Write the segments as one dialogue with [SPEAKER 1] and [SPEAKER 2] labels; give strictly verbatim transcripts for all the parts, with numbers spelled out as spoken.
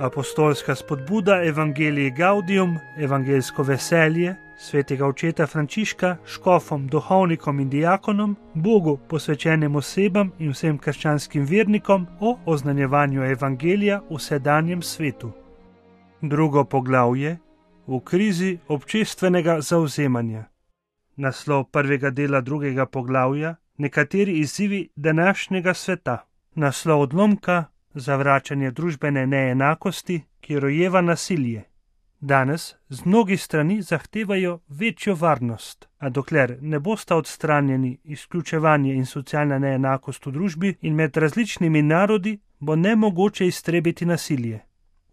[SPEAKER 1] Apostolska spodbuda Evangelii Gaudium, evangeljsko veselje, svetega očeta Frančiška, škofom, duhovnikom in diakonom, Bogu posvečenim osebam in vsem krščanskim vernikom o oznanjevanju evangelija v sedanjem svetu. Drugo poglavje: v krizi občestvenega zavzemanja. Naslov prvega dela drugega poglavja: nekateri izzivi današnjega sveta. Naslov odlomka: zavračanje družbene neenakosti, ki rojeva nasilje. Danes z mnogih strani zahtevajo večjo varnost, a dokler ne bosta odstranjeni izključevanje in socialna neenakost v družbi in med različnimi narodi, bo nemogoče iztrebiti nasilje.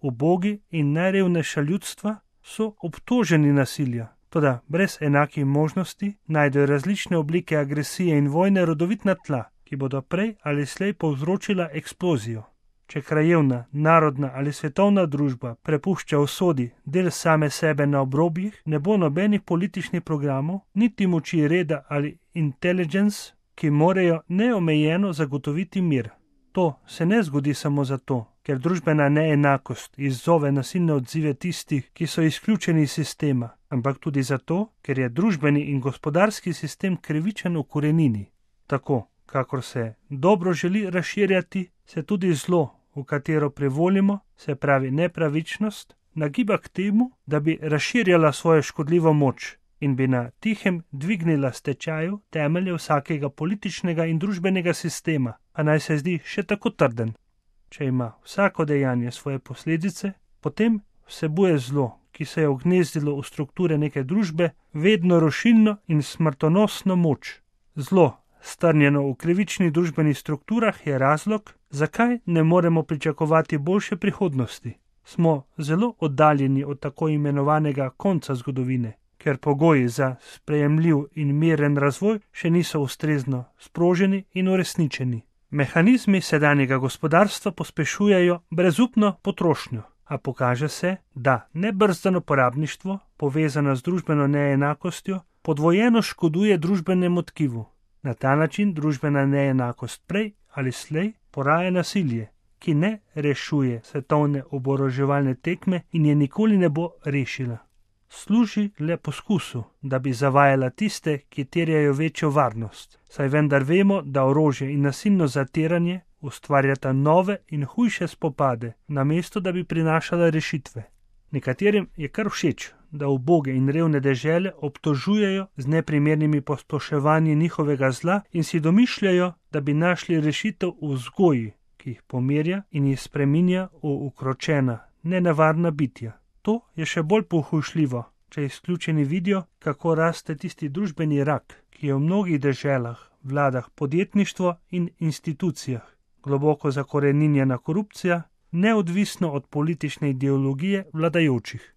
[SPEAKER 1] Ubogi in najrevnejša ljudstva so obtoženi nasilja, toda brez enakih možnosti najdejo različne oblike agresije in vojne rodovitna tla, ki bodo prej ali slej povzročila eksplozijo. Če krajevna, narodna ali svetovna družba prepušča usodi del same sebe na obrobjih, ne bo nobenih političnih programov, niti moči reda ali intelligence, ki morajo neomejeno zagotoviti mir. To se ne zgodi samo zato, ker družbena neenakost izzove nasilne odzive tistih, ki so izključeni iz sistema, ampak tudi zato, ker je družbeni in gospodarski sistem krivičen v korenini. Tako, kakor se dobro želi razširjati, se tudi zlo, v katero privolimo, se pravi nepravičnost, nagiba k temu, da bi razširjala svojo škodljivo moč in bi na tihem dvignila s tečaju temelje vsakega političnega in družbenega sistema, a naj se zdi še tako trden. Če ima vsako dejanje svoje posledice, potem vsebuje zlo, ki se je ugnezdilo v strukture neke družbe, vedno rušilno in smrtonosno moč. Zlo, strnjeno v krivičnih družbenih strukturah, je razlog, zakaj ne moremo pričakovati boljše prihodnosti. Smo zelo oddaljeni od tako imenovanega konca zgodovine, ker pogoji za sprejemljiv in miren razvoj še niso ustrezno sproženi in uresničeni. Mehanizmi sedanjega gospodarstva pospešujejo brezupno potrošnjo, a pokaže se, da nebrzdano porabništvo, povezano z družbeno neenakostjo, podvojeno škoduje družbenemu tkivu. Na ta način družbena neenakost prej ali slej poraja nasilje, ki ne rešuje svetovne oboroževalne tekme in je nikoli ne bo rešila. Služi le poskusu, da bi zavajala tiste, ki terjajo večjo varnost, saj vendar vemo, da orožje in nasilno zatiranje ustvarjata nove in hujše spopade, namesto da bi prinašala rešitve. Nekaterim je kar všeč, da uboge in revne dežele obtožujejo z neprimernimi posploševanji njihovega zla in si domišljajo, da bi našli rešitev v vzgoji, ki jih pomirja in jih spreminja v ukročena, nenevarna bitja. To je še bolj pohujšljivo, če izključeni vidijo, kako raste tisti družbeni rak, ki je v mnogih deželah, vladah podjetništvo in institucijah, globoko zakoreninjena korupcija, neodvisno od politične ideologije vladajočih.